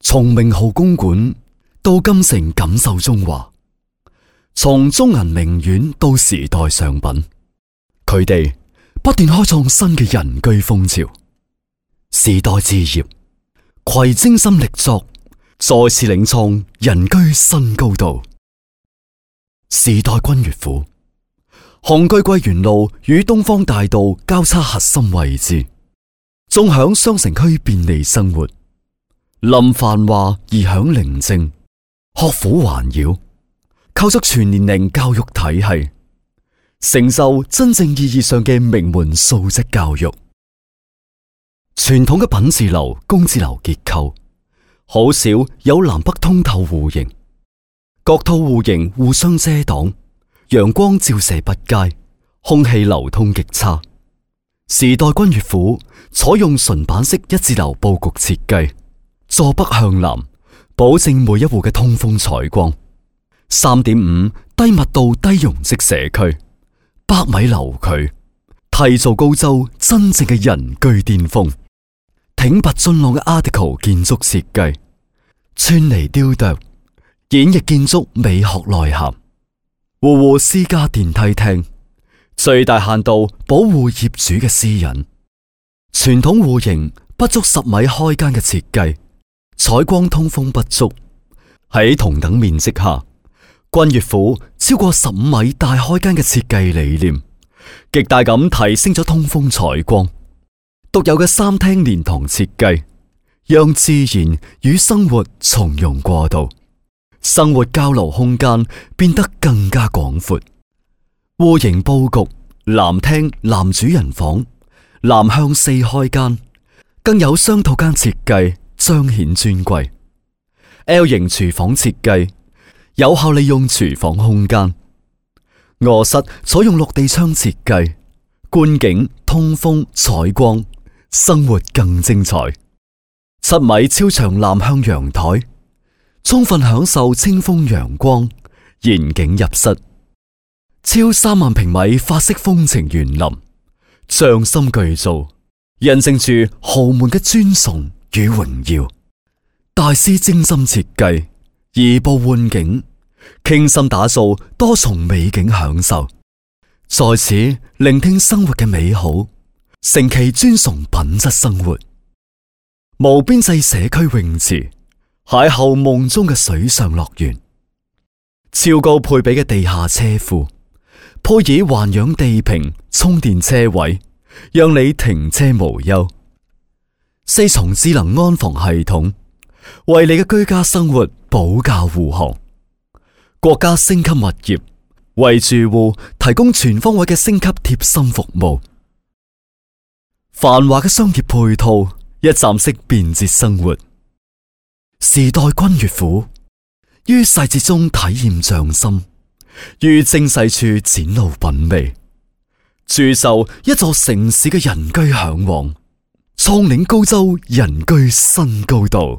從名號公館到金城錦繡中華，從中銀名苑到時代上品，佢哋不斷開創新嘅人居風潮。時代置業攜精心力作，再次領創人居新高度。時代君悅府雄踞桂園路與東方大道交叉核心位置，縱享雙城區便利生活，臨繁華而享寧靜，學府環繞，構築全年齡教育體系，承受真正意義上嘅名門素質教育。傳統嘅品字樓、工字樓結構，好少有南北通透戶型，各套戶型互相遮擋，陽光照射不佳，空氣流通極差。時代君悅府採用純板式一字樓佈局設計，坐北向南，保證每一戶嘅通風採光。3.5 低密度低容積社區，100米樓距，締造高州真正嘅人居巔峰。挺拔俊朗嘅 Art Deco 建築設計，穿泥雕琢，演繹建築美學內涵。戶戶私家電梯廳，最大限度保護業主嘅私隱。傳統戶型不足10米開間嘅設計，採光通風不足。喺同等面積下，君悅府超過15米大開間嘅設計理念，極大咁提升咗通風採光。獨有嘅3廳連堂設計，讓自然與生活從容過渡，生活交流空間變得更加廣闊。戶型佈局，南廳男主人房，南向4開間，更有雙套間設計，彰顯尊貴。L 型廚房設計，有效利用廚房空間。臥室採用落地窗設計，觀景、通風、採光，生活更精彩。7米超長南向陽台，充分享受清風陽光，嚴景入室。超3萬平米法式風情園林，匠心巨造，印證住豪門嘅尊崇與榮耀。大師精心設計，移步換景，傾心打造多重美景享受，在此聆聽生活嘅美好，成其尊崇品質生活。無邊際社區泳池，邂逅夢中嘅水上樂園。超高配備嘅地下車庫，配以環氧地坪充電車位，讓你停車無憂。4重智能安防系統，為你嘅居家生活保駕護航。國家星級物業，為住戶提供全方位嘅星級貼心服務。繁華嘅商業配套，一站式便捷生活。時代君悅府，於細節中體驗匠心，於精細處展露品味，鑄就一座城市嘅人居向往，創領高州人居新高度。